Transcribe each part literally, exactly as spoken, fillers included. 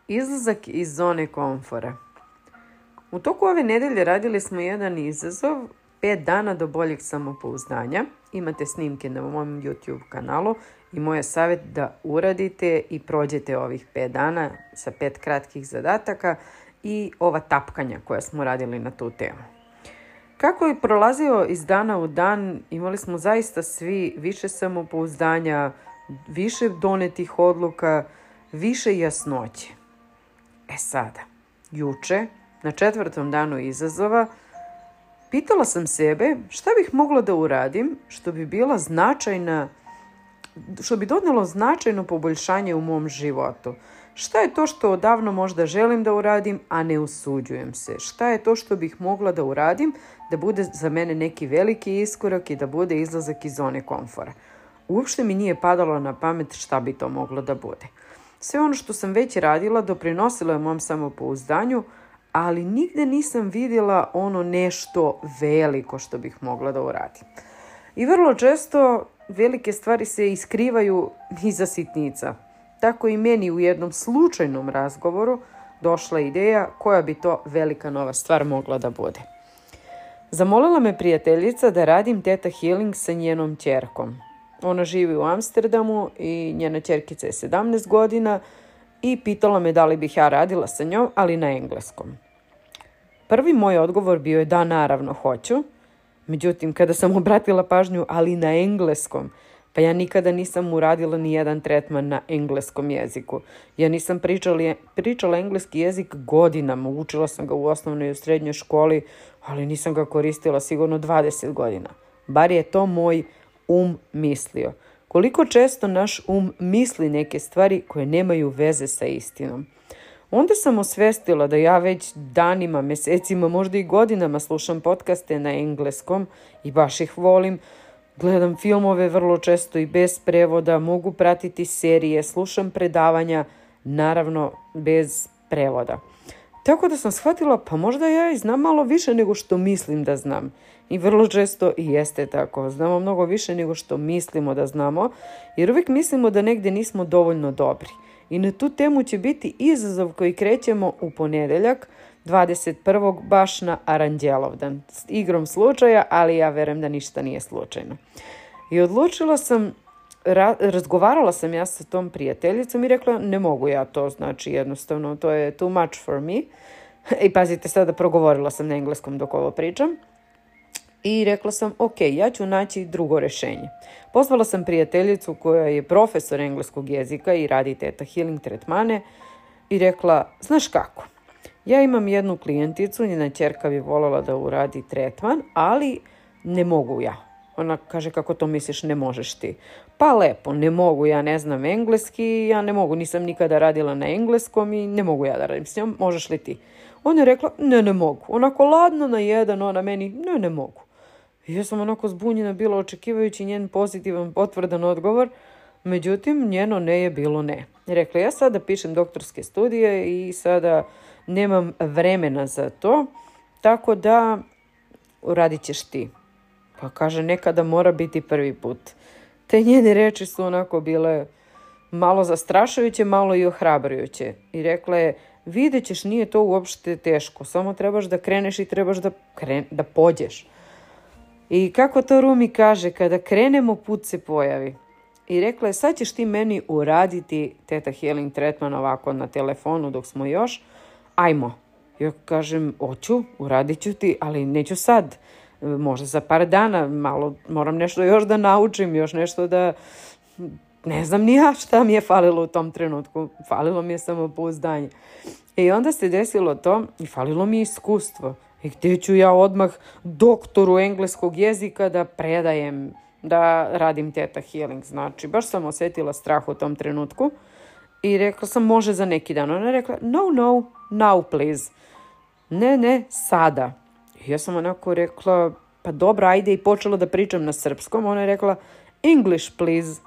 Izlazak iz zone komfora. U toku ove nedelje radili smo jedan izazov, pet dana do boljeg samopouzdanja. Imate snimke na mom YouTube kanalu i moj je savjet da uradite i prođete ovih pet dana sa pet kratkih zadataka i ova tapkanja koja smo radili na tu temu. Kako je prolazio iz dana u dan, imali smo zaista svi više samopouzdanja, više donetih odluka, više jasnoće. E sada, juče, na četvrtom danu izazova, pitala sam sebe šta bih mogla da uradim što bi bila značajna, što bi donelo značajno poboljšanje u mom životu. Šta je to što odavno možda želim da uradim, a ne usuđujem se? Šta je to što bih mogla da uradim da bude za mene neki veliki iskorak i da bude izlazak iz zone komfora? Uopšte mi nije padalo na pamet šta bi to moglo da bude. Sve ono što sam već radila doprinosilo je mom samopouzdanju, ali nigde nisam vidjela ono nešto veliko što bih mogla da uradim. I vrlo često velike stvari se iskrivaju iza sitnica. Tako i meni u jednom slučajnom razgovoru došla ideja koja bi to velika nova stvar mogla da bude. Zamolila me prijateljica da radim Theta Healing sa njenom ćerkom. Ona živi u Amsterdamu i njena ćerkica je sedamnaest godina i pitala me da li bih ja radila sa njom, ali na engleskom. Prvi moj odgovor bio je da, naravno, hoću. Međutim, kada sam obratila pažnju, ali na engleskom, pa ja nikada nisam uradila ni jedan tretman na engleskom jeziku. Ja nisam pričala, pričala engleski jezik godinama, učila sam ga u osnovnoj i u srednjoj školi, ali nisam ga koristila sigurno dvadeset godina. Bar je to moj um mislio. Koliko često naš um misli neke stvari koje nemaju veze sa istinom. Onda sam osvestila da ja već danima, mesecima, možda i godinama slušam podcaste na engleskom i baš ih volim. Gledam filmove vrlo često i bez prevoda, mogu pratiti serije, slušam predavanja, naravno bez prevoda. Tako da sam shvatila, pa možda ja i znam malo više nego što mislim da znam. I vrlo često i jeste tako. Znamo mnogo više nego što mislimo da znamo, jer uvijek mislimo da negdje nismo dovoljno dobri. I na tu temu će biti izazov koji krećemo u ponedeljak, dvadeset prvog baš na Aranđelovdan. S igrom slučaja, ali ja verujem da ništa nije slučajno. I odlučila sam, ra- razgovarala sam ja sa tom prijateljicom i rekla ne mogu ja to, znači jednostavno to je too much for me. I pazite sada, progovorila sam na engleskom dok ovo pričam. I rekla sam, ok, ja ću naći drugo rješenje. Pozvala sam prijateljicu koja je profesor engleskog jezika i radi Theta Healing tretmane i rekla, znaš kako, ja imam jednu klijenticu, njena ćerka bi voljela da uradi tretman, ali ne mogu ja. Ona kaže, kako to misliš, ne možeš ti? Pa lepo, ne mogu, ja ne znam engleski, ja ne mogu, nisam nikada radila na engleskom i ne mogu ja da radim s njom, možeš li ti? Ona je rekla, ne, ne mogu. Onako ladno na jedan, ona meni, ne, ne mogu. I ja sam onako zbunjena bila očekivajući njen pozitivan, potvrdan odgovor, međutim njeno ne je bilo ne. Rekla, ja sada pišem doktorske studije i sada nemam vremena za to, tako da radit ćeš ti. Pa kaže, nekada mora biti prvi put. Te njene reči su onako bile malo zastrašujuće, malo i ohrabrujuće. I rekla je, vidjet ćeš, nije to uopšte teško, samo trebaš da kreneš i trebaš da, kren, da pođeš. I kako to Rumi kaže, kada krenemo, put se pojavi. I rekla je, sad ćeš ti meni uraditi Theta Healing tretman ovako na telefonu dok smo još. Ajmo. Ja kažem, hoću, uradit ću ti, ali neću sad. Možda za par dana, malo moram nešto još da naučim, još nešto da, ne znam ni ja šta mi je falilo u tom trenutku. Falilo mi je samopouzdanje. I onda se desilo to i falilo mi je iskustvo. I gdje ću ja odmah doktoru engleskog jezika da predajem, da radim Theta Healing. Znači, baš sam osjetila strah u tom trenutku i rekla sam, može za neki dan. Ona je rekla, no, no, now please. Ne, ne, sada. I ja sam onako rekla, pa dobro, ajde, i počela da pričam na srpskom. Ona je rekla, English please.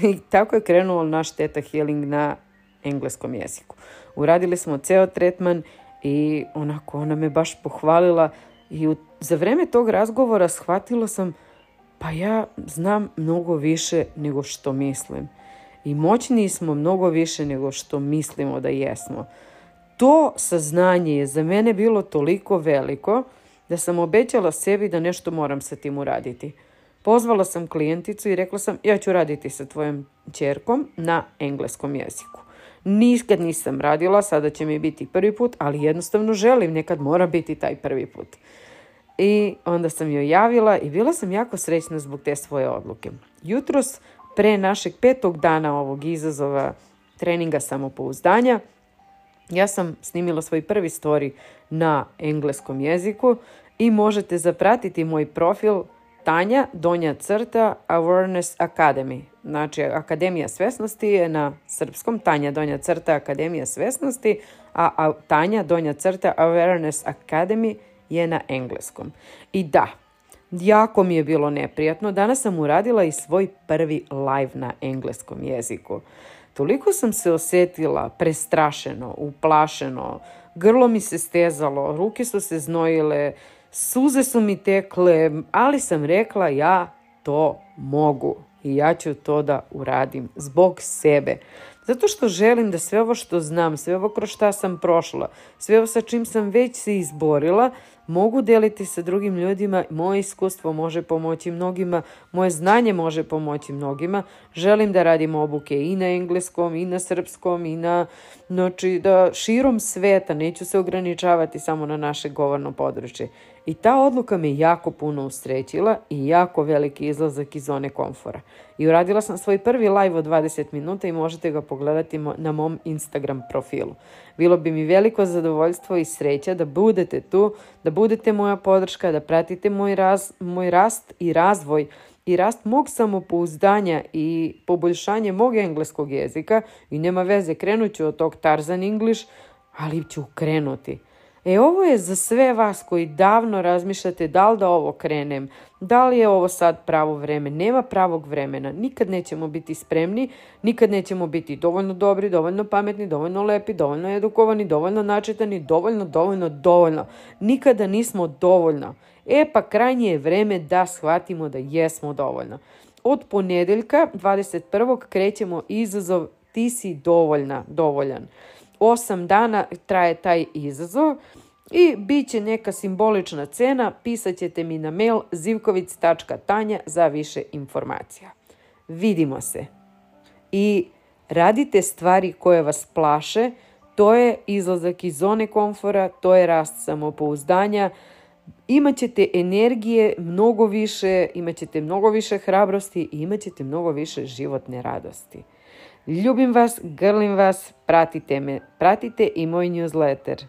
I tako je krenuo naš Theta Healing na engleskom jeziku. Uradili smo ceo tretman i onako ona me baš pohvalila i u, za vreme tog razgovora shvatila sam, pa ja znam mnogo više nego što mislim. i moćniji smo mnogo više nego što mislimo da jesmo. To saznanje je za mene bilo toliko veliko da sam obećala sebi da nešto moram sa tim uraditi. Pozvala sam klijenticu i rekla sam, ja ću raditi sa tvojom ćerkom na engleskom jeziku. Nikad nisam radila, sada će mi biti prvi put, ali jednostavno želim, nekad mora biti taj prvi put. I onda sam joj javila i bila sam jako srećna zbog te svoje odluke. Jutros, pre našeg petog dana ovog izazova treninga samopouzdanja, ja sam snimila svoj prvi story na engleskom jeziku i možete zapratiti moj profil Tanja donja crta Awareness Academy. Znači, Akademija svesnosti je na srpskom, Tanja donja crta Akademija svesnosti, a, a Tanja donja crta Awareness Academy je na engleskom. I da, jako mi je bilo neprijatno. Danas sam uradila i svoj prvi live na engleskom jeziku. Toliko sam se osjetila prestrašeno, uplašeno, grlo mi se stezalo, ruke su se znojile, suze su mi tekle, ali sam rekla ja to mogu i ja ću to da uradim zbog sebe. Zato što želim da sve ovo što znam, sve ovo kroz šta sam prošla, sve ovo sa čim sam već se izborila, mogu deliti sa drugim ljudima. Moje iskustvo može pomoći mnogima, moje znanje može pomoći mnogima. Želim da radim obuke i na engleskom, i na srpskom, i na, znači, da širom sveta, neću se ograničavati samo na naše govorno područje. I ta odluka me jako puno usrećila i jako veliki izlazak iz zone komfora. I uradila sam svoj prvi live od dvadeset minuta i možete ga pogledati na mom Instagram profilu. Bilo bi mi veliko zadovoljstvo i sreća da budete tu, da budete moja podrška, da pratite moj, raz, moj rast i razvoj i rast mog samopouzdanja i poboljšanje mog engleskog jezika. I nema veze, krenut ću od tog Tarzan English, ali ću krenuti. E, ovo je za sve vas koji davno razmišljate da li da ovo krenem, da li je ovo sad pravo vreme. Nema pravog vremena. Nikad nećemo biti spremni, nikad nećemo biti dovoljno dobri, dovoljno pametni, dovoljno lepi, dovoljno edukovani, dovoljno načitani, dovoljno, dovoljno, dovoljno. Nikada nismo dovoljno. E pa krajnje je vreme da shvatimo da jesmo dovoljno. Od ponedeljka dvadeset prvog krećemo izazov Ti si dovoljna, dovoljan. Osam dana traje taj izazov i bit će neka simbolična cena. Pisat ćete mi na mail zivkovic tačka tanja za više informacija. Vidimo se. I radite stvari koje vas plaše. To je izlazak iz zone komfora, to je rast samopouzdanja. Imaćete energije mnogo više, imaćete mnogo više hrabrosti i imaćete mnogo više životne radosti. Ljubim vas, grlim vas, pratite me, pratite i moj newsletter.